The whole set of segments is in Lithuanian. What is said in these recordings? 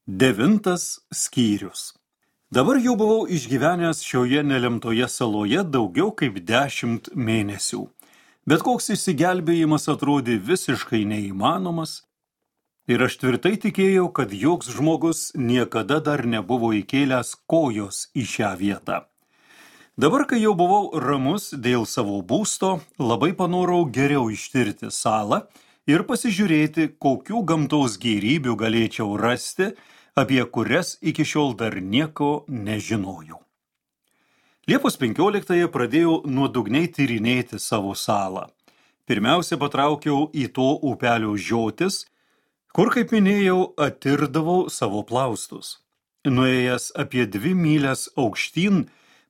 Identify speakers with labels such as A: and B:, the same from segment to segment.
A: 9 skyrius. Dabar jau buvau išgyvenęs šioje nelemtoje saloje daugiau kaip 10 mėnesių. Bet koks išsigelbėjimas atrodė visiškai neįmanomas ir aš tvirtai tikėjau, kad joks žmogus niekada dar nebuvo įkėlęs kojos į šią vietą. Dabar, kai jau buvau ramus dėl savo būsto, labai panorau geriau ištirti salą ir pasižiūrėti, kokių gamtos gėrybių galėčiau rasti, apie kurias iki šiol dar nieko nežinojau. Liepos 15 pradėjau nuodugniai tyrinėti savo salą. Pirmiausia, patraukiau į to upelio žiotis, kur, kaip minėjau, atirdavau savo plaustus. Nuėjęs apie 2 mylias aukštyn,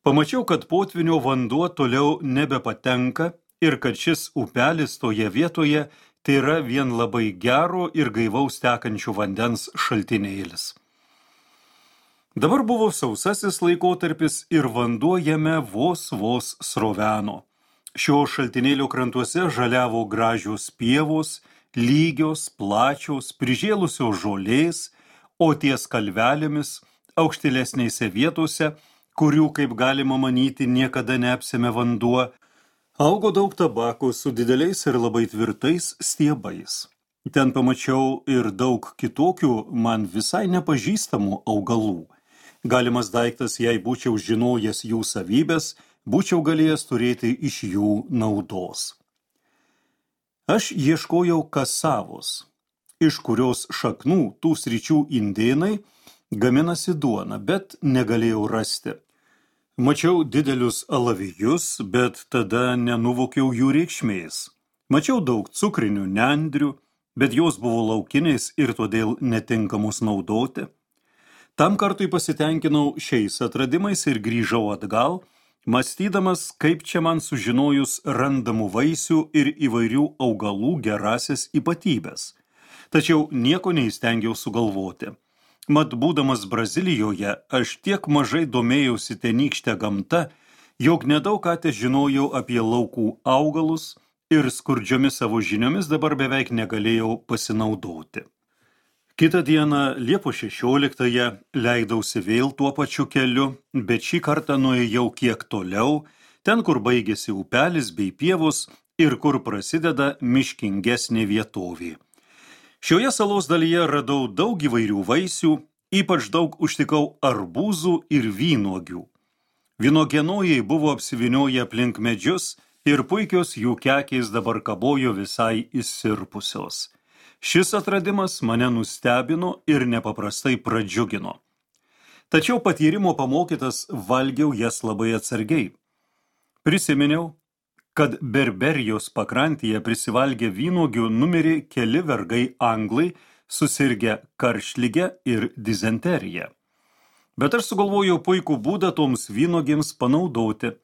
A: pamačiau, kad potvynio vanduo toliau nebepatenka ir kad šis upelis toje vietoje tai yra vien labai gero ir gaivaus tekančių vandens šaltinėlis. Dabar buvo sausasis laikotarpis ir vanduo jame vos sroveno. Šio šaltinėlio krantuose žaliavo gražios pievos, lygios, plačios, prižėlusios žolės, o ties kalvelėmis, aukštilesnėse vietose, kurių, kaip galima manyti, niekada neapsėmė vanduo, augo daug tabako su dideliais ir labai tvirtais stiebais. Ten pamačiau ir daug kitokių man visai nepažįstamų augalų. Galimas daiktas, jei būčiau žinojęs jų savybės, būčiau galėjęs turėti iš jų naudos. Aš ieškojau kasavos, iš kurios šaknų tų sričių indėnai gaminasi duoną, bet negalėjau rasti. Mačiau didelius alavijus, bet tada nenuvokiau jų reikšmės. Mačiau daug cukrinių nendrių, bet jos buvo laukinės ir todėl netinkamos naudoti. Tam kartui pasitenkinau šiais atradimais ir grįžau atgal, mąstydamas, kaip čia man sužinojus randamų vaisių ir įvairių augalų gerasias ypatybės. Tačiau nieko neįstengiau sugalvoti. Mat, būdamas Brazilijoje, aš tiek mažai domėjausi tenykštę gamtą, jog nedaug ką žinojau apie laukų augalus ir skurdžiomis savo žiniomis dabar beveik negalėjau pasinaudoti. Kitą dieną, Liepos 16, leidausi vėl tuo pačiu keliu, bet šį kartą nuėjau kiek toliau, ten, kur baigėsi upelis bei pievos ir kur prasideda miškingesnė vietovė. Šioje salos dalyje radau daug įvairių vaisių, ypač daug užtikau arbūzų ir vynuogių. Vynuogienojai buvo apsivinioję aplink medžius ir puikios jų kekės dabar kabojo visai išsirpusios. Šis atradimas mane nustebino ir nepaprastai pradžiugino. Tačiau patyrimo pamokytas valgiau jas labai atsargiai. Prisiminiau, kad Berberijos pakrantėje prisivalgę vynuogių numirė keli vergai anglai, susirgę karštlige ir dizenterija. Bet aš sugalvojau puikų būdą toms vynuogėms panaudoti.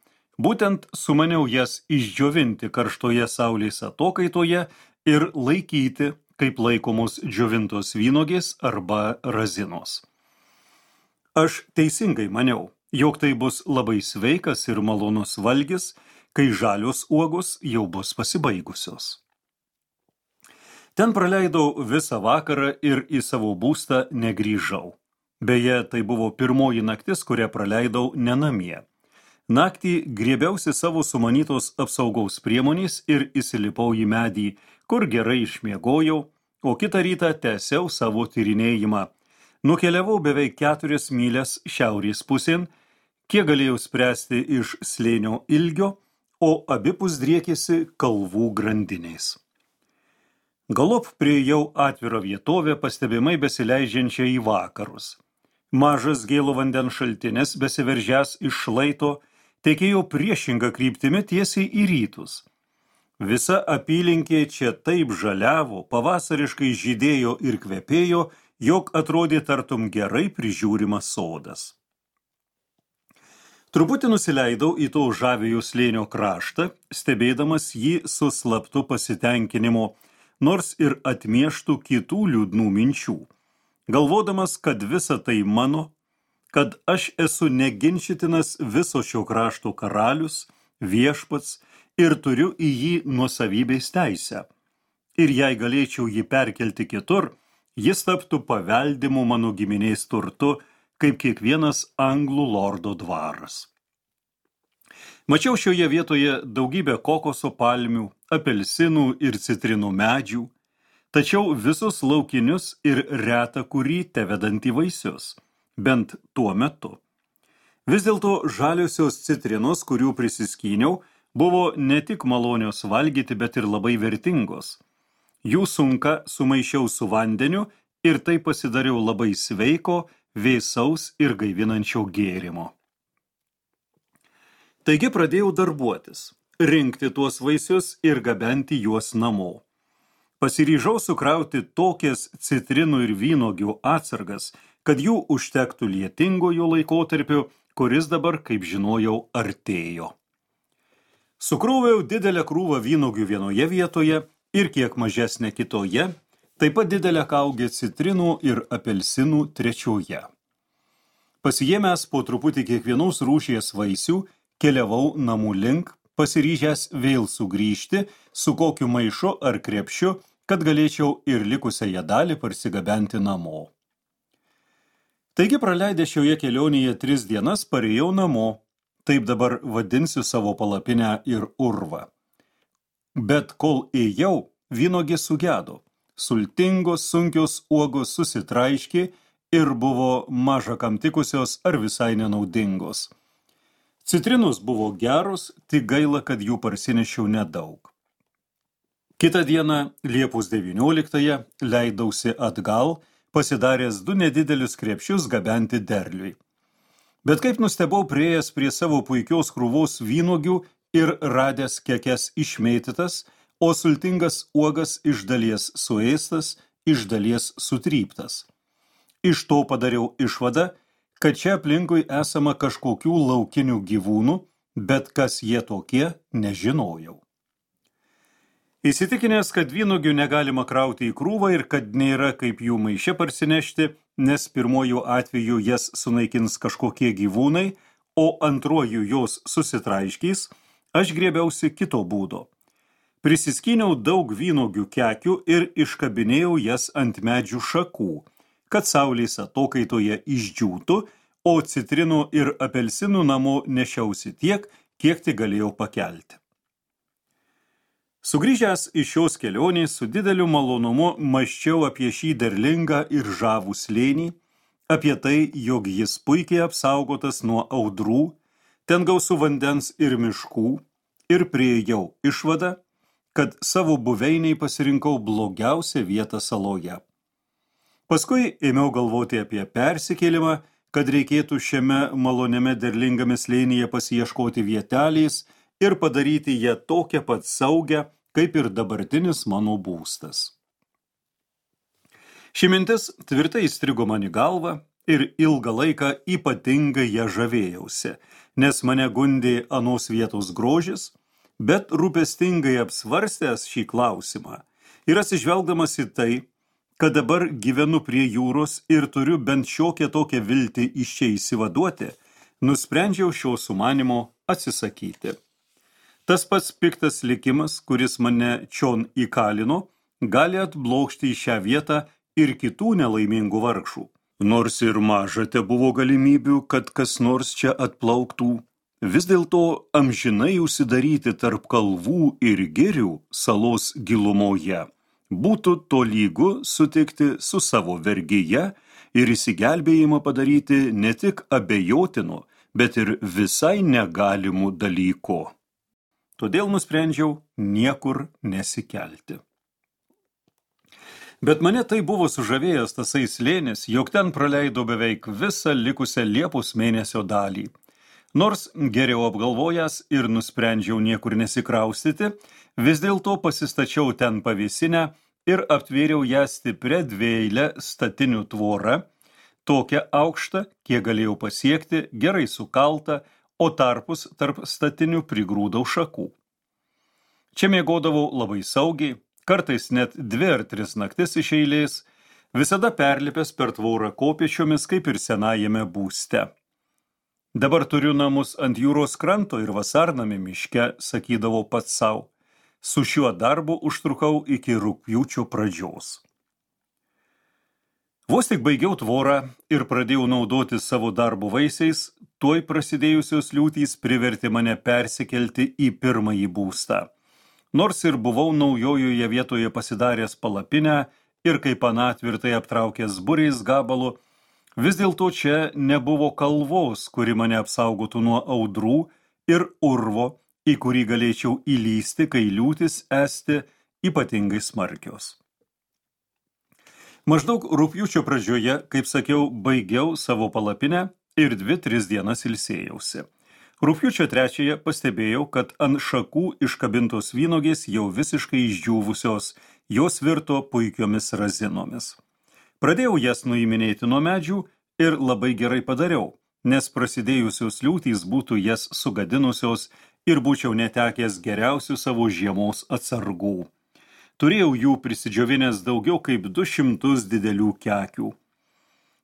A: Būtent sumaniau jas išdžiovinti karštoje saulės atokaitoje ir laikyti, kaip laikomos džiovintos vynuogės arba razinos. Aš teisingai maniau, jog tai bus labai sveikas ir malonus valgis, kai žalios uogos jau bus pasibaigusios. Ten praleidau visą vakarą ir į savo būstą negrįžau. Beje, tai buvo pirmoji naktis, kurią praleidau ne namie. Naktį griebiausi savo sumanytos apsaugos priemonės ir įsilipau į medį, kur gerai išmiegojau, o kitą rytą tęsiau savo tyrinėjimą. Nukeliavau beveik 4 mylias šiaurės pusėn, kiek galėjau spręsti iš slėnio ilgio, o abipus driekėsi kalvų grandinės. Galop priėjau atvirą vietovę, pastebimai besileidžiančią į vakarus. Mažas gėlo vandens šaltinis, besiveržęs iš šlaito, tekėjo priešinga kryptimi tiesiai į rytus. Visa apylinkė čia taip žaliavo, pavasariškai žydėjo ir kvepėjo, jog atrodė tartum gerai prižiūrimas sodas. Truputį nusileidau į to žaviojo slėnio kraštą, stebėdamas jį su slaptu pasitenkinimu, nors ir atmieštų kitų liūdnų minčių. Galvodamas, kad visa tai mano, kad aš esu neginčytinas viso šio krašto karalius, viešpats ir turiu į jį nuosavybės teisę. Ir jei galėčiau jį perkelti kitur, jis taptų paveldimu mano giminės turtu, kaip kiekvienas anglų lordo dvaras. Mačiau šioje vietoje daugybę kokoso palmių, apelsinų ir citrinų medžių, tačiau visus laukinius ir retą kurį tevedantį vaisius, bent tuo metu. Vis dėlto žaliosios citrinos, kurių prisiskyniau, buvo ne tik malonios valgyti, bet ir labai vertingos. Jų sunką sumaišiau su vandeniu ir tai pasidariau labai sveiko, vėsaus ir gaivinančio gėrimo. Taigi pradėjau darbuotis, rinkti tuos vaisius ir gabenti juos namo. Pasiryžau sukrauti tokias citrinų ir vynuogių atsargas, kad jų užtektų lietingojo laikotarpiu, kuris dabar, kaip žinojau, artėjo. Sukroviau didelę krūvą vynuogių vienoje vietoje ir kiek mažesnę kitoje, taip pat didelę kaugę citrinų ir apelsinų trečioje. Pasiėmęs po truputį kiekvienos rūšies vaisių, keliavau namų link, pasiryžęs vėl sugrįžti su kokiu maišu ar krepšiu, kad galėčiau ir likusiąją dalį parsigabenti namo. Taigi praleidę šioje kelionėje 3 dienas parėjau namo, taip dabar vadinsiu savo palapinę ir urvą. Bet kol ėjau, vynuogės sugedo, sultingos sunkios uogos susitraiškė ir buvo maža kam tikusios ar visai nenaudingos. Citrinos buvo geros, tik gaila, kad jų parsinešiau nedaug. Kitą dieną, Liepos 19-ąją, leidausi atgal, pasidaręs 2 nedidelius krepšius gabenti derliui. Bet kaip nustebau priėjęs prie savo puikios krūvos vynuogių ir radęs kekes išmėtytas, o sultingas uogas iš dalies suėstas, iš dalies sutryptas. Iš to padariau išvadą, kad čia aplinkui esama kažkokių laukinių gyvūnų, bet kas jie tokie, nežinojau. Įsitikinęs, kad vynuogių negalima krauti į krūvą ir kad nėra kaip jų maiše parsinešti, nes pirmojų atveju jas sunaikins kažkokie gyvūnai, o antruoju jos susitraiškys, aš griebiausi kito būdo. Prisiskyniau daug vynuogių kekių ir iškabinėjau jas ant medžių šakų, kad saulės atokaitoje išdžiūtų, o citrinų ir apelsinų namo nešiausi tiek, kiek tik galėjau pakelti. Sugrįžęs iš šios kelionės su dideliu malonumu mąsčiau apie šį derlingą ir žavų slėnį, apie tai, jog jis puikiai apsaugotas nuo audrų, ten gausu vandens ir miškų, ir priėjau išvadą, kad savo buveiniai pasirinkau blogiausią vietą saloje. Paskui ėmiau galvoti apie persikėlimą, kad reikėtų šiame maloniame derlingame slėnyje pasiieškoti vietelės ir padaryti ją tokią pat saugią, kaip ir dabartinis mano būstas. Ši mintis tvirtai įstrigo man į galvą ir ilgą laiką ypatingai ją žavėjausi, nes mane gundė anos vietos grožis, bet rūpestingai apsvarstęs šį klausimą ir atsižvelgdamas į tai, kad dabar gyvenu prie jūros ir turiu bent šiokią tokią viltį iš čia įsivaduoti, nusprendžiau šio sumanimo atsisakyti. Tas pats piktas likimas, kuris mane čion įkalino, gali atblokšti į šią vietą ir kitų nelaimingų vargšų. Nors ir maža tebuvo galimybių, kad kas nors čia atplauktų, vis dėlto amžinai užsidaryti tarp kalvų ir girių salos gilumoje būtų tolygu sutikti su savo vergyje ir įsigelbėjimą padaryti ne tik abejotinu, bet ir visai negalimu dalyku. Todėl nusprendžiau niekur nesikelti. Bet mane tai buvo sužavėjęs tasai slėnis, jog ten praleidau beveik visą likusią Liepos mėnesio dalį. Nors geriau apgalvojęs ir nusprendžiau niekur nesikraustyti, vis dėlto pasistačiau ten pavėsinę ir aptvėriau ją stiprią dvieilę statinių tvorą, tokią aukštą, kiek galėjau pasiekti, gerai sukaltą, o tarpus tarp statinių prigrūdau šakų. Čia miegodavau labai saugiai, kartais net 2 ar 3 naktis iš eilės, visada perlipęs per tvorą kopėčiomis, kaip ir senajame būste. Dabar turiu namus ant jūros kranto ir vasarname miške, sakydavau pats sau. Su šiuo darbu užtrukau iki rugpjūčio pradžios. Vos tik baigiau tvorą ir pradėjau naudoti savo darbo vaisiais, tuoj prasidėjusios liūtys privertė mane persikelti į pirmąjį būstą. Nors ir buvau naujojoje vietoje pasidaręs palapinę ir kaip anatvirtai aptraukęs buriais gabalu, vis dėlto čia nebuvo kalvos, kuri mane apsaugotų nuo audrų ir urvo, į kurį galėčiau įlysti, kai liūtis esti ypatingai smarkios. Maždaug rugpjūčio pradžioje, kaip sakiau, baigiau savo palapinę ir 2-3 dienas ilsėjausi. Rugpjūčio 3 pastebėjau, kad ant šakų iškabintos vynogės jau visiškai išdžiūvusios, jos virto puikiomis razinomis. Pradėjau jas nuiminėti nuo medžių ir labai gerai padariau, nes prasidėjusios liūtys būtų jas sugadinusios ir būčiau netekęs geriausių savo žiemos atsargų. Turėjau jų prisidžiovinęs daugiau kaip 200 didelių kekių.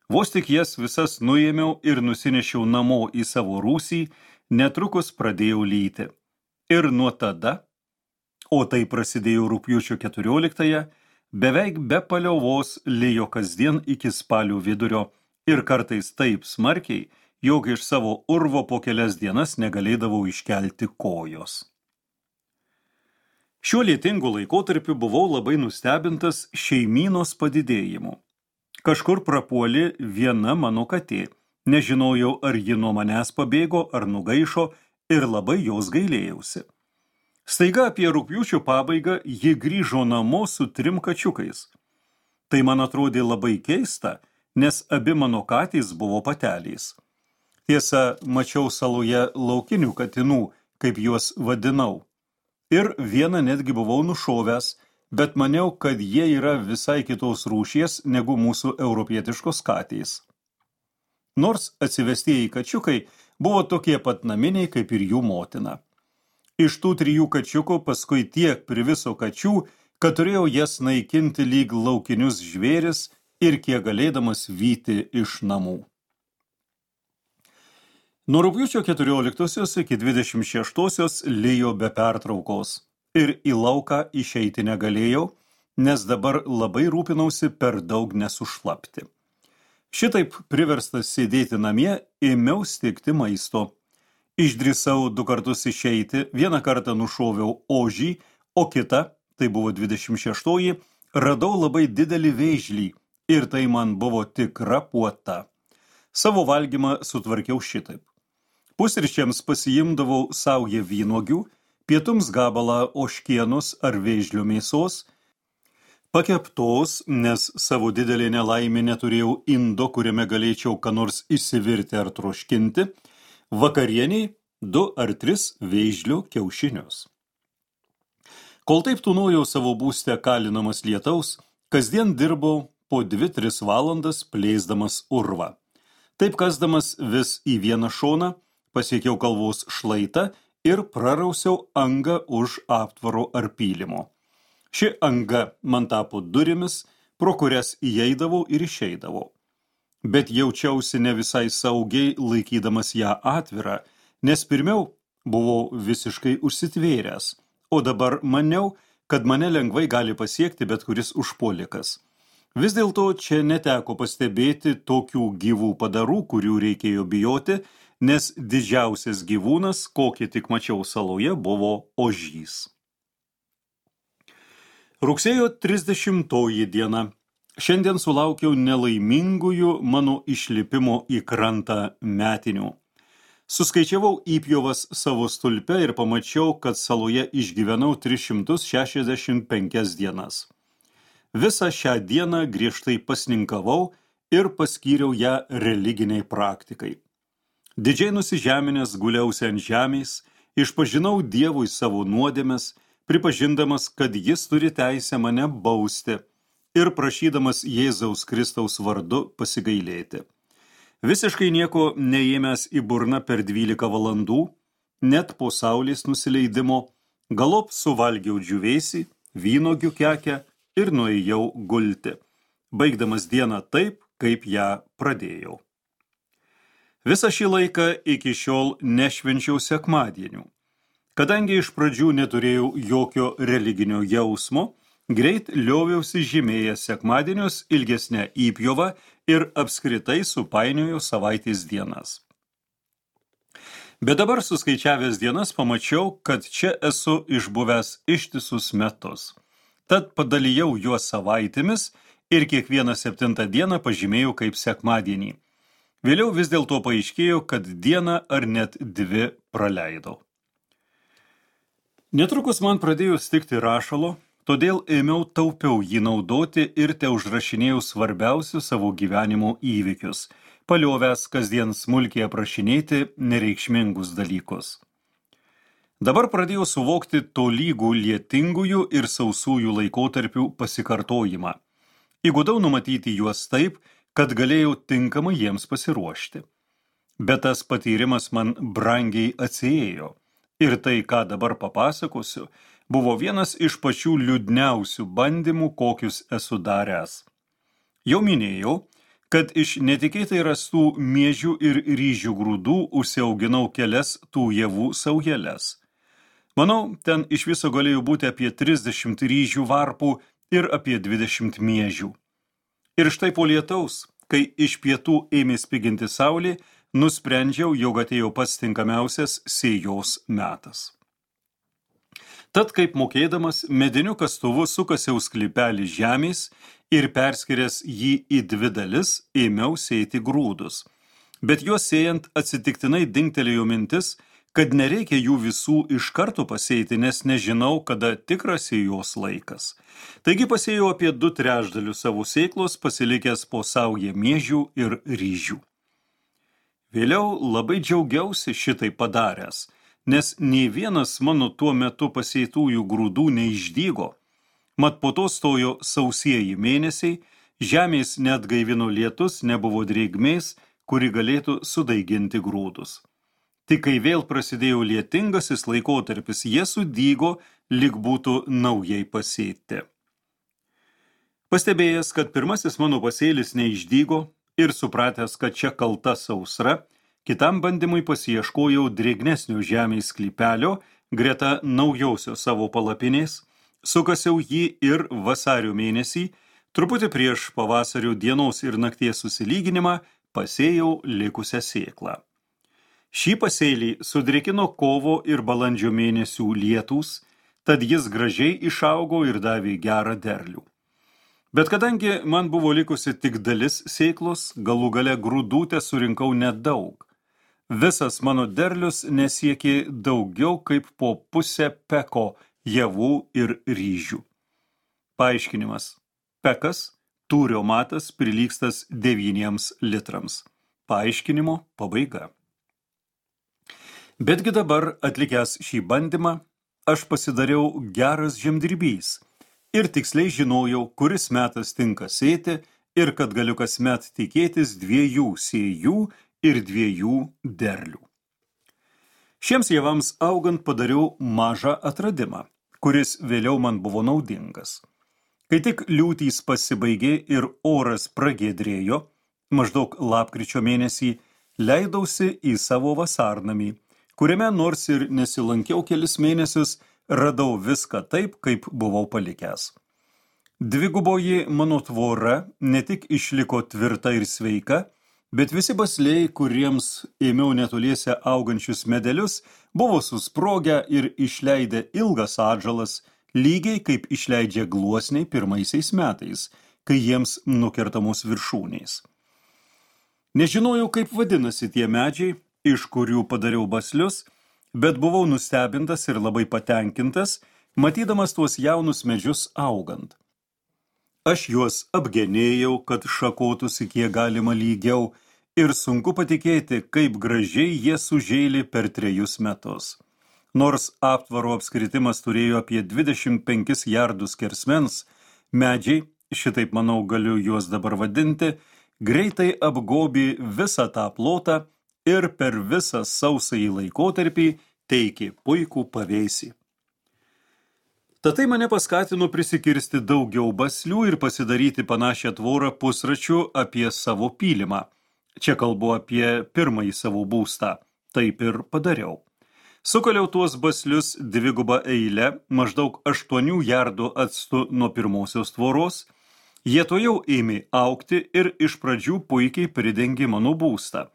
A: Vos tik jas visas nuėmiau ir nusinešiau namo į savo rūsį, netrukus pradėjau lyti. Ir nuo tada, o tai prasidėjo rugpjūčio 14, beveik be paliovos lijo kasdien iki spalio vidurio ir kartais taip smarkiai, jog iš savo urvo po kelias dienas negalėdavau iškelti kojos. Šiuo lietingu laikotarpiu buvau labai nustebintas šeimynos padidėjimu. Kažkur prapuolė viena mano katė. Nežinojau, ar ji nuo manęs pabėgo, ar nugaišo ir labai jos gailėjausi. Staiga apie rugpjūčio pabaigą ji grįžo namo su 3 kačiukais. Tai man atrodė labai keista, nes abi mano katės buvo patelės. Tiesa, mačiau saloje laukinių katinų, kaip juos vadinau. Ir vieną netgi buvau nušovęs, bet maniau, kad jie yra visai kitos rūšies negu mūsų europietiškos katės. Nors atsivestieji kačiukai buvo tokie pat naminiai kaip ir jų motina. Iš tų 3 kačiukų paskui tiek priviso kačių, kad turėjau jas naikinti lyg laukinius žvėris ir kiek galėdamas vyti iš namų. Nuo rugpjūčio 14 iki 26 lijo be pertraukos ir į lauką išeiti negalėjau, nes dabar labai rūpinausi per daug nesušlapti. Šitaip priverstas sėdėti namie, ėmiau stigti maisto. Išdrįsau 2 kartus išeiti, vieną kartą nušoviau ožį, o kitą, tai buvo 26, radau labai didelį vėžlį ir tai man buvo tikra puota. Savo valgymą sutvarkiau šitaip. Pusryčiams pasiimdavau saują vynuogių, pietums gabalą ožkienos ar vėžlio mėsos, pakeptos, nes savo didelį nelaimę neturėjau indo, kuriame galėčiau ką nors išsivirti ar troškinti, vakarieniai 2 ar 3 vėžlio kiaušinius. Kol taip tūnojau savo būste kalinamas lietaus, kasdien dirbau po 2-3 valandas plėsdamas urvą. Taip kasdamas vis į vieną šoną, pasiekiau kalvos šlaitą ir prarausiau angą už aptvaro ar pylimo. Ši anga man tapo durimis, pro kurias įeidavau ir išeidavau. Bet jaučiausi ne visai saugiai laikydamas ją atvirą, nes pirmiau buvau visiškai užsitvėręs, o dabar maniau, kad mane lengvai gali pasiekti bet kuris užpuolikas. Vis dėlto čia neteko pastebėti tokių gyvų padarų, kurių reikėjo bijoti, nes didžiausias gyvūnas, kokį tik mačiau saloje, buvo ožys. Rugsėjo 30 diena. Šiandien sulaukiau nelaimingųjų mano išlipimo į krantą metinių. Suskaičiavau įpjovas savo stulpe ir pamačiau, kad saloje išgyvenau 365 dienas. Visą šią dieną griežtai pasninkavau ir paskyriau ją religiniai praktikai. Didžiai nusižeminęs guliausi ant žemės, išpažinau Dievui savo nuodėmes, pripažindamas, kad jis turi teisę mane bausti ir prašydamas Jėzaus Kristaus vardu pasigailėti. Visiškai nieko neėmęs į burną per 12 valandų, net po saulės nusileidimo, galop suvalgiau džiūvėsį, vynuogių kekę ir nuėjau gulti, baigdamas dieną taip, kaip ją pradėjau. Visą šį laiką iki šiol nešvenčiau sekmadienių. Kadangi iš pradžių neturėjau jokio religinio jausmo, greit lioviausi žymėjęs sekmadienius ilgesnę įpjovą ir apskritai supainiojo savaitės dienas. Bet dabar suskaičiavęs dienas pamačiau, kad čia esu išbuvęs ištisus metus. Tad padalijau juos savaitėmis ir kiekvieną 7 dieną pažymėjau kaip sekmadienį. Vėliau vis dėlto paaiškėjo, kad dieną ar net 2 praleidau. Netrukus man pradėjo stigti rašalo, todėl ėmiau taupiau jį naudoti ir teužrašinėjau svarbiausius savo gyvenimo įvykius, paliovęs kasdien smulkiai aprašinėti nereikšmingus dalykus. Dabar pradėjau suvokti tolygų lietingųjų ir sausųjų laikotarpių pasikartojimą. Įgudau numatyti juos taip, kad galėjau tinkamai jiems pasiruošti. Bet tas patyrimas man brangiai atsiėjo. Ir tai, ką dabar papasakosiu, buvo vienas iš pačių liūdniausių bandymų, kokius esu daręs. Jau minėjau, kad iš netikėtai rastų miežių ir ryžių grūdų užsiauginau kelias tų javų saujeles. Manau, ten iš viso galėjo būti apie 30 ryžių varpų ir apie 20 miežių. Ir štai po lietaus, kai iš pietų ėmė spiginti saulė, nusprendžiau, jog atėjo pats tinkamiausias sėjos metas. Tad, kaip mokėdamas, mediniu kastuvu sukasiau sklypelį žemės ir perskiręs jį į 2 dalis, ėmiau sėti grūdus. Bet juos sėjant atsitiktinai dingtelėjo mintis, kad nereikia jų visų iš karto pasėti, nes nežinau, kada tikras sėjos laikas. Taigi pasėjau apie 2/3 savo sėklos, pasilikęs po saują miežių ir ryžių. Vėliau labai džiaugiausi šitai padaręs, nes nei vienas mano tuo metu pasėtųjų grūdų neišdygo. Mat po to stojo sausieji mėnesiai, žemės neatgaivino lietus, nebuvo drėgmės, kuri galėtų sudaiginti grūdus. Tik kai vėl prasidėjo lietingasis laikotarpis, jie sudygo, lyg būtų naujai pasėti. Pastebėjęs, kad pirmasis mano pasėlis neišdygo ir supratęs, kad čia kalta sausra, kitam bandymui pasiieškojau drėgnesnio žemės sklypelio greta naujausios savo palapinės, sukasiau jį ir vasario mėnesį, truputį prieš pavasario dienos ir nakties susilyginimą, pasėjau likusią sėklą. Šį pasėlį sudrėkino kovo ir balandžio mėnesių lietūs, tad jis gražiai išaugo ir davė gerą derlių. Bet kadangi man buvo likusi tik dalis sėklos, galų gale grūdų surinkau nedaug. Visas mano derlius nesiekė daugiau kaip po 0,5 peko javų ir ryžių. Paaiškinimas. Pekas, tūrio matas, prilygstas 9 litrams. Paaiškinimo pabaiga. Betgi dabar, atlikęs šį bandymą, aš pasidariau geras žemdirbys ir tiksliai žinojau, kuris metas tinka sėti ir kad galiu kasmet tikėtis 2 sėjų ir 2 derlių. Šiems javams augant padariau mažą atradimą, kuris vėliau man buvo naudingas. Kai tik liūtys pasibaigė ir oras pragiedrėjo, maždaug lapkričio mėnesį, leidausi į savo vasarnamį, kuriame nors ir nesilankiau kelis mėnesius, radau viską taip, kaip buvau palikęs. 2 mano tvora ne tik išliko tvirta ir sveika, bet visi basliai, kuriems ėmiau netoliese augančius medelius, buvo susprogę ir išleidę ilgas atžalas, lygiai kaip išleidžia gluosniai pirmaisiais metais, kai jiems nukertamos viršūnės. Nežinojau, kaip vadinasi tie medžiai, iš kurių padariau baslius, bet buvau nustebintas ir labai patenkintas, matydamas tuos jaunus medžius augant. Aš juos apgenėjau, kad šakotųsi kiek galima lygiau, ir sunku patikėti, kaip gražiai jie sužėlė per 3 metus. Nors aptvaro apskritimas turėjo apie 25 jardus skersmens, medžiai, šitaip manau galiu juos dabar vadinti, greitai apgobė visą tą plotą ir per visą sausąjį laikotarpį teikė puikų pavėsį. Tad tai mane paskatino prisikirsti daugiau baslių ir pasidaryti panašią tvorą pusračiu apie savo pylimą. Čia kalbu apie pirmąjį savo būstą. Taip ir padariau. Sukaliau tuos baslius dvigubą eilę, maždaug 8 jardų atstu nuo pirmosios tvoros. Jie tojau ėmė augti ir iš pradžių puikiai pridengė mano būstą,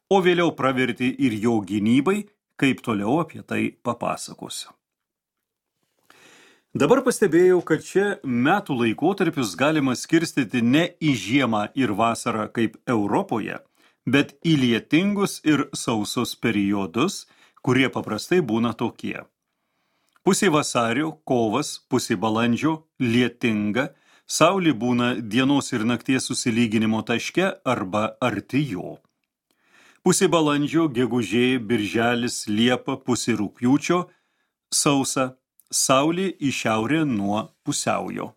A: o vėliau pravertė ir jo gynybai, kaip toliau apie tai papasakosiu. Dabar pastebėjau, kad čia metų laikotarpius galima skirstyti ne į žiemą ir vasarą kaip Europoje, bet į lietingus ir sausus periodus, kurie paprastai būna tokie. Pusė vasario, kovas, pusė balandžio, lietinga, saulė būna dienos ir nakties susilyginimo taške arba arti jo. Pusė balandžio, gegužė, birželis, liepa, pusė rugpjūčio, sausa, saulė į šiaurę nuo pusiaujo.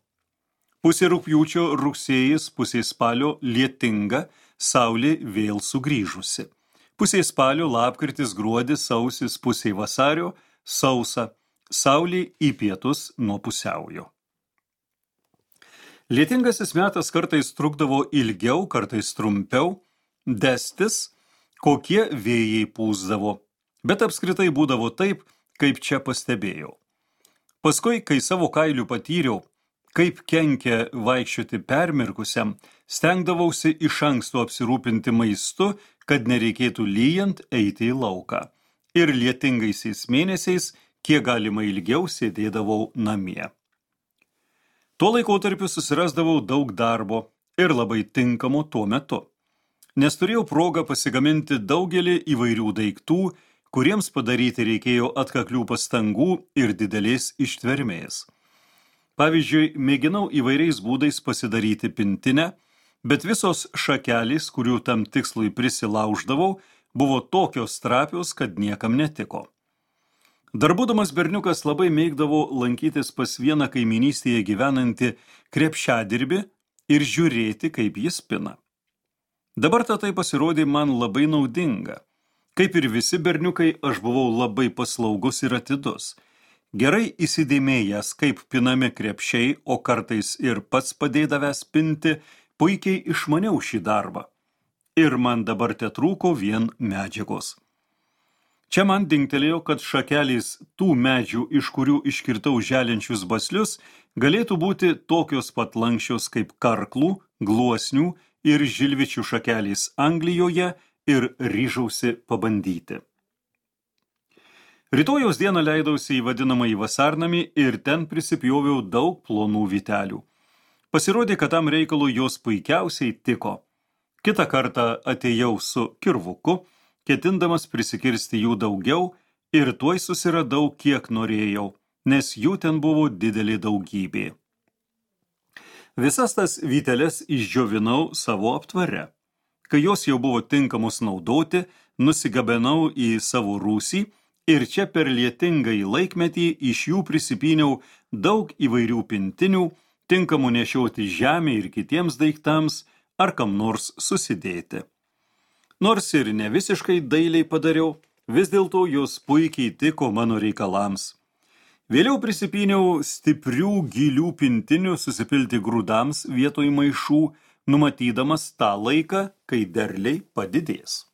A: Pusė rugpjūčio, rugsėjis, pusė spalio, lietinga, saulė vėl sugrįžusi. Pusė spalio, lapkritis, gruodis, sausis, pusė vasario, sausa, saulė į pietus nuo pusiaujo. Lietingasis metas kartais trukdavo ilgiau, kartais trumpiau, destis, kokie vėjai pūsdavo, bet apskritai būdavo taip, kaip čia pastebėjau. Paskui, kai savo kailių patyriau, kaip kenkia vaikščioti permirkusiam, stengdavausi iš anksto apsirūpinti maistu, kad nereikėtų lyjant eiti į lauką. Ir lietingaisiais mėnesiais, kiek galima ilgiau sėdėdavau namie. Tuo laikotarpiu susirasdavau daug darbo ir labai tinkamo tuo metu, nes turėjau progą pasigaminti daugelį įvairių daiktų, kuriems padaryti reikėjo atkaklių pastangų ir didelės ištvermės. Pavyzdžiui, mėginau įvairiais būdais pasidaryti pintinę, bet visos šakelės, kurių tam tikslui prisilauždavau, buvo tokios trapios, kad niekam netiko. Dar būdamas berniukas labai mėgdavo lankytis pas vieną kaimynystėje gyvenantį krepšiadirbį ir žiūrėti, kaip jis pina. Dabar tai pasirodė man labai naudinga. Kaip ir visi berniukai, aš buvau labai paslaugus ir atidus. Gerai įsidėmėjęs, kaip pinami krepšiai, o kartais ir pats padėdavęs pinti, puikiai išmaniau šį darbą. Ir man dabar tetrūko vien medžiagos. Čia man dingtelėjo, kad šakelės tų medžių, iš kurių iškirtau želinčius baslius, galėtų būti tokios pat lankščios kaip karklų, gluosnių ir žilvičių šakelės Anglijoje ir ryžausi pabandyti. Rytojaus dieną leidausi į vadinamąjį vasarnamį ir ten prisipjoviau daug plonų vytelių. Pasirodė, kad tam reikalui jos puikiausiai tiko. Kitą kartą atėjau su kirvuku, ketindamas prisikirsti jų daugiau ir tuoj susiradau, kiek norėjau, nes jų ten buvo didelė daugybė. Visas tas vyteles išdžiovinau savo aptvare. Kai jos jau buvo tinkamos naudoti, nusigabenau į savo rūsį ir čia per lietingąjį laikmetį iš jų prisipyniau daug įvairių pintinių, tinkamų nešioti žemę ir kitiems daiktams ar kam nors susidėti. Nors ir ne visiškai dailiai padariau, vis dėlto jos puikiai tiko mano reikalams. Vėliau prisipyniau stiprių gilių pintinių susipilti grūdams vietoj maišų, numatydamas tą laiką, kai derliai padidės.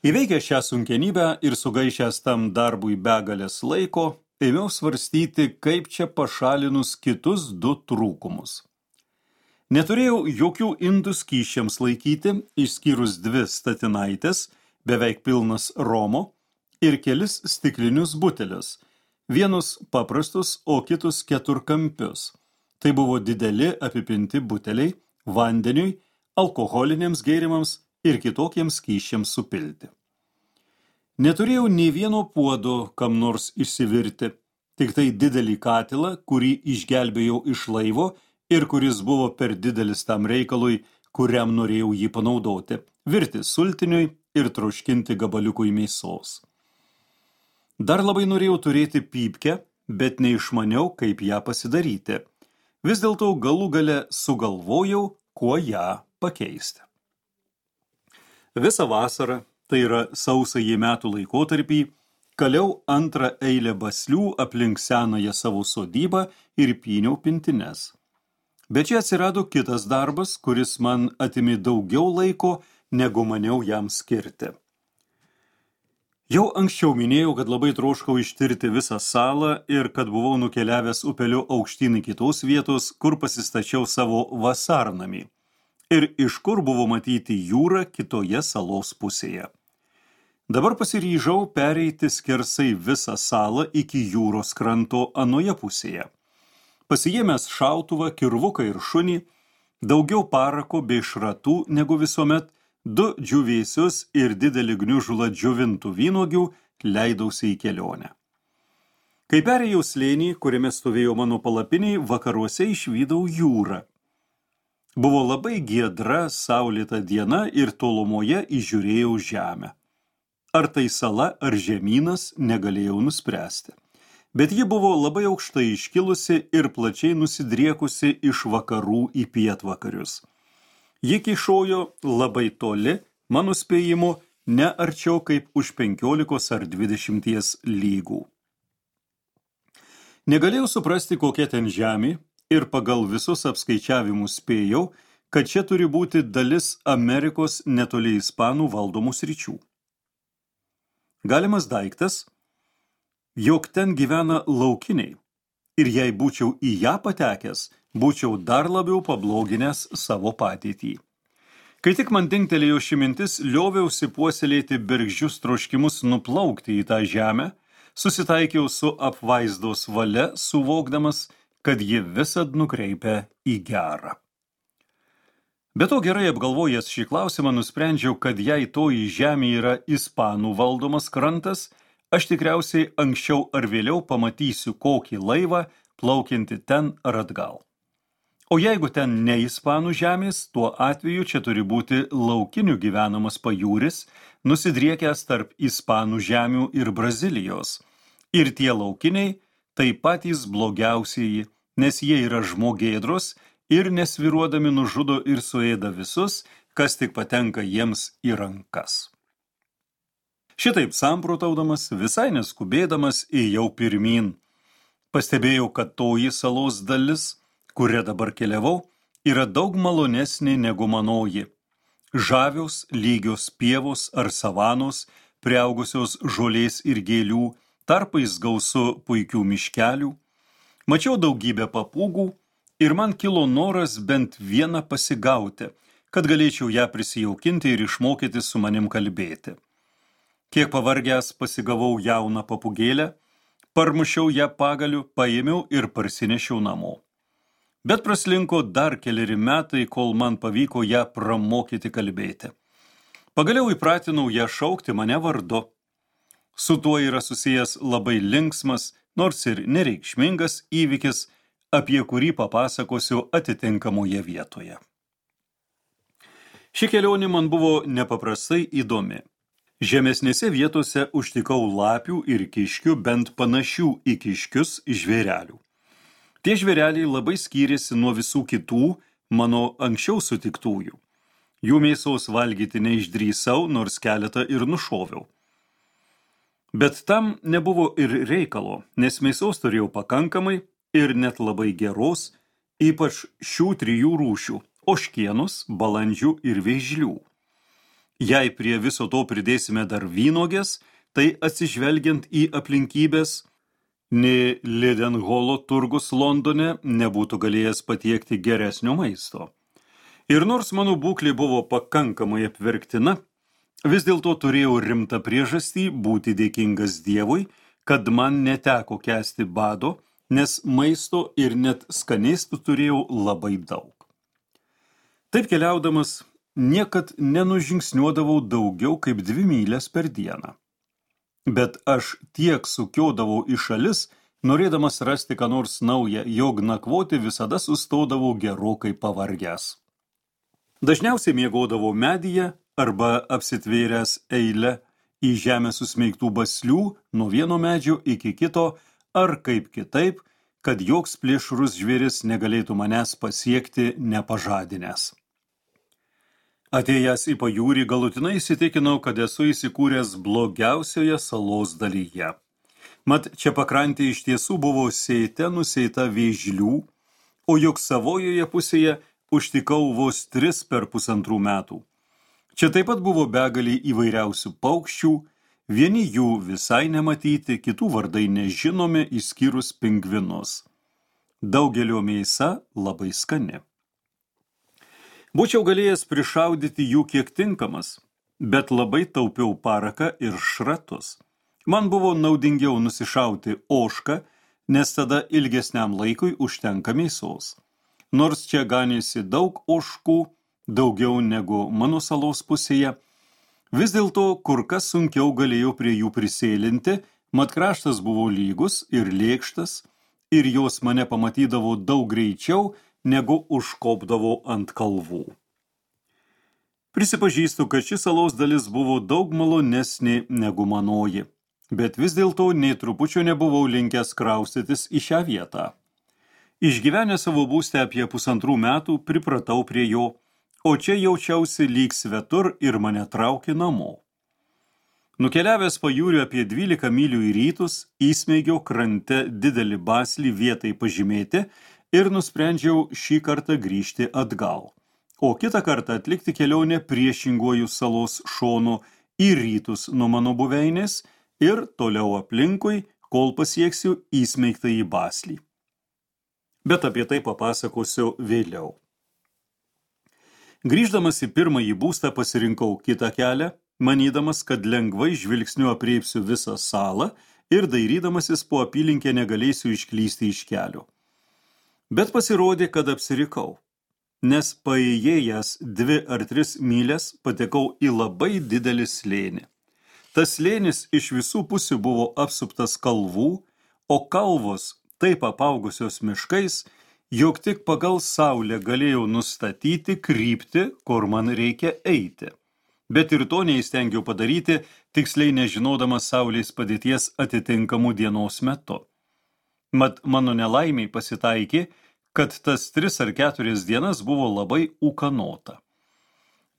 A: Įveikęs šią sunkenybę ir sugaišęs tam darbui begalės laiko, ėmiau svarstyti, kaip čia pašalinus kitus 2 trūkumus. Neturėjau jokių indų skysčiams laikyti, išskyrus 2 statinaitės, beveik pilnas romo, ir kelis stiklinius butelius, vienus paprastus, o kitus 4-kampius. Tai buvo dideli apipinti buteliai vandeniui, alkoholiniams gėrimams ir kitokiems skysčiams supilti. Neturėjau nei vieno puodo kam nors išsivirti, tik tai didelį katilą, kurį išgelbėjau iš laivo ir kuris buvo per didelis tam reikalui, kuriam norėjau jį panaudoti, virti sultiniui ir troškinti gabaliukui mėsos. Dar labai norėjau turėti pypkę, bet neišmaniau, kaip ją pasidaryti. Vis dėlto galų gale sugalvojau, kuo ją pakeisti. Visą vasarą, tai yra sausąjį metų laikotarpį, kaliau 2 eilę baslių aplink senąją savo sodybą ir pyniau pintines. Bet čia atsirado kitas darbas, kuris man atimė daugiau laiko, negu maniau jam skirti. Jau anksčiau minėjau, kad labai troškau ištirti visą salą ir kad buvau nukeliavęs upeliu aukštyn į kitos vietos, kur pasistačiau savo vasarnamį ir iš kur buvo matyti jūra kitoje salos pusėje. Dabar pasiryžau pereiti skersai visą salą iki jūros kranto anoje pusėje. Pasiėmęs šautuvą, kirvuką ir šunį, daugiau parako bei šratų negu visuomet, 2 džiūvėsius ir didelį gniužulą džiovintų vynuogių leidausi į kelionę. Kai perėjau slėnį, kuriame stovėjo mano palapiniai, vakaruose išvydau jūrą. Buvo labai giedra, saulėta diena ir tolumoje įžiūrėjau žemę. Ar tai sala, ar žemynas, negalėjau nuspręsti. Bet ji buvo labai aukštai iškilusi ir plačiai nusidriekusi iš vakarų į pietvakarius. Ji kyšojo labai toli, mano spėjimu, ne arčiau kaip už 15 ar 20 lygų. Negalėjau suprasti, kokia ten žemė, ir pagal visus apskaičiavimus spėjau, kad čia turi būti dalis Amerikos netoli Ispanų valdomų sričių. Galimas daiktas, jog ten gyvena laukiniai, ir jei būčiau į ją patekęs, būčiau dar labiau pabloginęs savo padėtį. Kai tik man dingtelėjo ši mintis, lioviausi puoselėti bergždžius troškimus nuplaukti į tą žemę, susitaikiau su apvaizdos valia, suvokdamas, kad ji visad nukreipia į gerą. Be to gerai apgalvojęs šį klausimą, nusprendžiau, kad jei toji žemė yra Ispanų valdomas krantas, aš tikriausiai anksčiau ar vėliau pamatysiu kokį laivą plaukiantį ten ar atgal. O jeigu ten ne Ispanų žemės, tuo atveju čia turi būti laukinių gyvenamas pajūris, nusidriekęs tarp Ispanų žemių ir Brazilijos. Ir tie laukiniai tai patys blogiausieji, nes jie yra žmogėdros ir nesviruodami nužudo ir suėda visus, kas tik patenka jiems į rankas. Šitaip samprotaudamas, visai neskubėdamas, ėjau pirmyn. Pastebėjau, kad toji salos dalis, kuria dabar keliavau, yra daug malonesnė negu manoji. Žavios, lygios pievos ar savanos, priaugusios žolės ir gėlių, tarpais gausu puikių miškelių. Mačiau daugybę papūgų ir man kilo noras bent vieną pasigauti, kad galėčiau ją prisijaukinti ir išmokyti su manim kalbėti. Kiek pavargęs pasigavau jauną papūgėlę, parmušiau ją pagaliu, paėmiau ir parsinešiau namo. Bet praslinko dar keleri metai, kol man pavyko ją pramokyti kalbėti. Pagaliau įpratinau ją šaukti mane vardu. Su tuo yra susijęs labai linksmas, nors ir nereikšmingas įvykis, apie kurį papasakosiu atitinkamoje vietoje. Ši kelionė man buvo nepaprastai įdomi. Žemesnėse vietose užtikau lapių ir kiškių, bent panašių į kiškius žvėrelių. Tie žvėreliai labai skyrėsi nuo visų kitų mano anksčiau sutiktųjų. Jų mėsos valgyti neišdrįsau, nors keletą ir nušoviau. Bet tam nebuvo ir reikalo, nes mėsos turėjau pakankamai ir net labai geros, ypač šių 3 rūšių – ožkienos, balandžių ir vėžlių. Jei prie viso to pridėsime dar vynuogės, tai atsižvelgiant į aplinkybės, nei Leadenholo turgus Londone nebūtų galėjęs patiekti geresnio maisto. Ir nors mano būklė buvo pakankamai apverktina, vis dėlto turėjau rimtą priežastį būti dėkingas Dievui, kad man neteko kęsti bado, nes maisto ir net skanėstų turėjau labai daug. Taip keliaudamas, niekad nenužingsniuodavau daugiau kaip 2 mylias per dieną. Bet aš tiek sukiodavau į šalis, norėdamas rasti ką nors naują, jog nakvoti visada sustodavau gerokai pavargęs. Dažniausiai miegodavau medyje arba apsitvėręs eilę į žemę susmeigtų baslių nuo vieno medžio iki kito, ar kaip kitaip, kad joks plėšrus žvėris negalėtų manęs pasiekti nepažadinęs. Atėjęs į pajūrį, galutinai įsitikinau, kad esu įsikūręs blogiausioje salos dalyje. Mat, čia pakrantė iš tiesų buvo nusėta vėžlių, o juk savojoje pusėje užtikau vos 3 per 1,5 metų. Čia taip pat buvo begalė įvairiausių paukščių, Vieni jų visai nematyti, kitų vardai nežinomi, išskyrus pingvinus. Daugelio mėsa labai skani. Būčiau galėjęs prišaudyti jų kiek tinkamas, bet labai taupiau paraką ir šratus. Man buvo naudingiau nusišauti ožką, nes tada ilgesniam laikui užtenka mėsos. Nors čia ganėsi daug ožkų, daugiau negu mano salos pusėje, vis dėlto kur kas sunkiau galėjau prie jų prisėlinti, mat kraštas buvo lygus ir lėkštas, ir jos mane pamatydavo daug greičiau, negu užkopdavo ant kalvų. Prisipažįstu, kad ši salos dalis buvo daug malonesnė negu manoji, bet vis dėlto nei trupučio nebuvau linkęs kraustytis į šią vietą. Išgyvenęs savo būstę apie 1,5 metų, pripratau prie jo, o čia jaučiausi lyg svetur ir mane traukė namo. Nukeliavęs pajūriu apie 12 mylių į rytus, įsmeigiau krante didelį baslį vietai pažymėti ir nusprendžiau šį kartą grįžti atgal, o kitą kartą atlikti kelionę priešinguoju salos šonu į rytus nuo mano buveinės ir toliau aplinkui, kol pasieksiu įsmeigtąjį baslį. Bet apie tai papasakosiu vėliau. Grįždamas į pirmąjį būstą pasirinkau kitą kelią, manydamas, kad lengvai žvilgsniu apreipsiu visą salą ir dairydamasis po apylinkę negalėsiu išklysti iš kelio. Bet pasirodė, kad apsirikau, nes paėjėjęs 2 ar 3 mylias patekau į labai didelį slėnį. Tas slėnis iš visų pusių buvo apsuptas kalvų, o kalvos taip apaugusios miškais, jog tik pagal saulę galėjau nustatyti kryptį, kur man reikia eiti. Bet ir to neįstengiau padaryti, tiksliai nežinodamas saulės padėties atitinkamų dienos metu. Mat mano nelaimiai pasitaikė, kad tas 3 ar 4 dienas buvo labai ūkanota.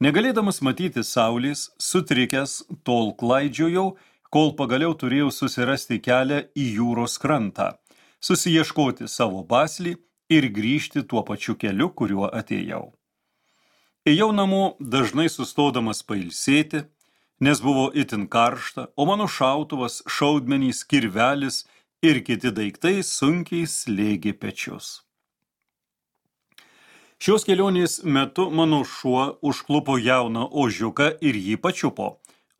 A: Negalėdamas matyti saulės, sutrikęs, tol klaidžiojau, kol pagaliau turėjau susirasti kelią į jūros krantą, susiieškoti savo baslį ir grįžti tuo pačiu keliu, kuriuo atėjau. Ėjau namo dažnai sustodamas pailsėti, nes buvo itin karšta, o mano šautuvas, šaudmenys, kirvelis ir kiti daiktai sunkiai slėgė pečius. Šios kelionės metu mano šuo užklupo jauną ožiuką ir jį pačiupo,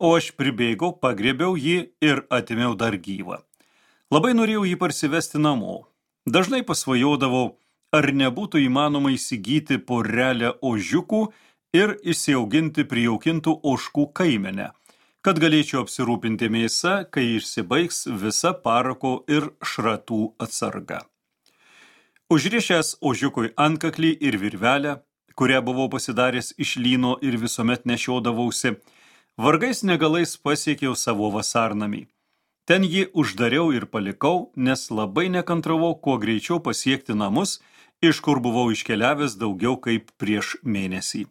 A: o aš pribėgau, pagriebiau jį ir atėmiau dar gyvą. Labai norėjau jį parsivesti namo. Dažnai pasvajodavau, ar nebūtų įmanoma įsigyti porelę ožiukų ir įsiauginti prijaukintų ožkų kaimenę, kad galėčiau apsirūpinti mėsa, kai išsibaigs visa parako ir šratų atsarga. Užrišęs ožiukui antkaklį ir virvelę, kurią buvau pasidaręs iš lyno ir visuomet nešiodavausi, vargais negalais pasiekiau savo vasarnamį. Ten jį uždariau ir palikau, nes labai nekantravau kuo greičiau pasiekti namus, iš kur buvau iškeliavęs daugiau kaip prieš mėnesį.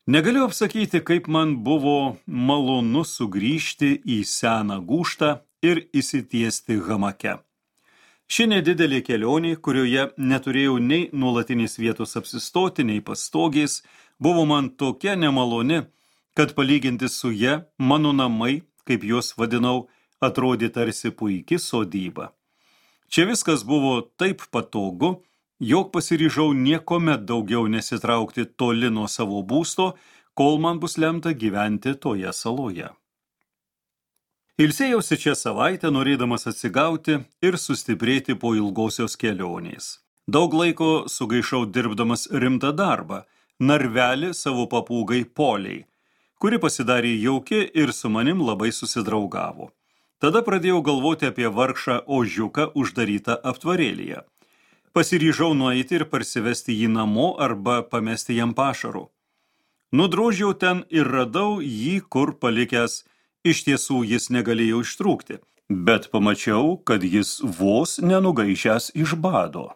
A: Negaliu apsakyti, kaip man buvo malonu sugrįžti į seną gūžtą ir įsitiesti hamake. Ši nedidelė kelionė, kurioje neturėjau nei nuolatinės vietos apsistoti, nei pastogės, buvo man tokia nemaloni, kad palyginti su ja mano namai, kaip juos vadinau, atrodė tarsi puiki sodyba. Čia viskas buvo taip patogu, jog pasiryžau niekuomet daugiau nesitraukti toli nuo savo būsto, kol man bus lemta gyventi toje saloje. Ilsėjausi čia savaitę, norėdamas atsigauti ir sustiprėti po ilgosios kelionės. Daug laiko sugaišau dirbdamas rimtą darbą, narvelį savo papūgai Poliai, kuri pasidarė jauki ir su manim labai susidraugavo. Tada pradėjau galvoti apie vargšą ožiuką uždarytą aptvarėlyje. Pasiryžau nueiti ir parsivesti jį namo arba pamesti jam pašarų. Nudrožiau ten ir radau jį kur palikęs. Iš tiesų jis negalėjo ištrūkti, bet pamačiau, kad jis vos nenugaišęs iš bado.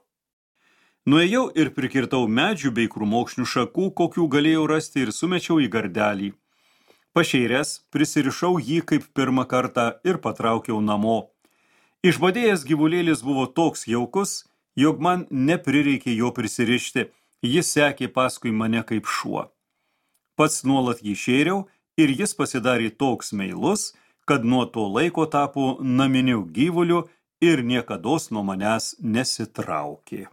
A: Nuėjau ir prikirtau medžių bei krūmokšnių šakų, kokių galėjau rasti ir sumečiau į gardelį. Pašeiręs, prisirišau jį kaip pirmą kartą ir patraukiau namo. Išbadėjęs gyvulėlis buvo toks jaukus, jog man neprireikė jo prisirišti, jis sekė paskui mane kaip šuo. Pats nuolat jį šėriau ir jis pasidarė toks meilus, kad nuo to laiko tapo naminiu gyvuliu ir niekados nuo manęs nesitraukė.